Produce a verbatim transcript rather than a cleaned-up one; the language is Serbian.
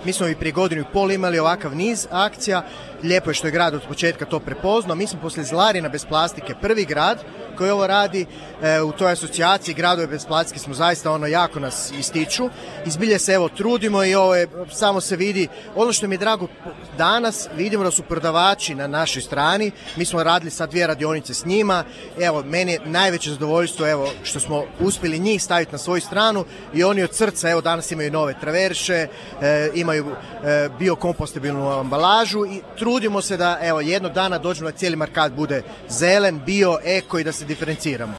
Mi smo i prije godinu i pol imali ovakav niz akcija. Lijepo je što je grad od početka to prepoznao. Mi smo poslije Zlarina bez plastike prvi grad koji ovo radi. E, u toj asocijaciji gradove bez plastike smo zaista ono jako nas ističu. Izbilje se evo trudimo i ovo je, samo se vidi. Ono što mi je drago danas, vidimo da su prodavači na našoj strani. Mi smo radili sad dvije radionice s njima. Evo, meni je najveće zadovoljstvo evo što smo uspjeli njih staviti na svoju stranu i oni od srca evo danas imaju nove traverše, e, imaju e, biokompostabilnu ambalažu i trudimo se da evo jednog dana dođemo da cijeli markat bude zelen, bio, eko i da se diferenciramo.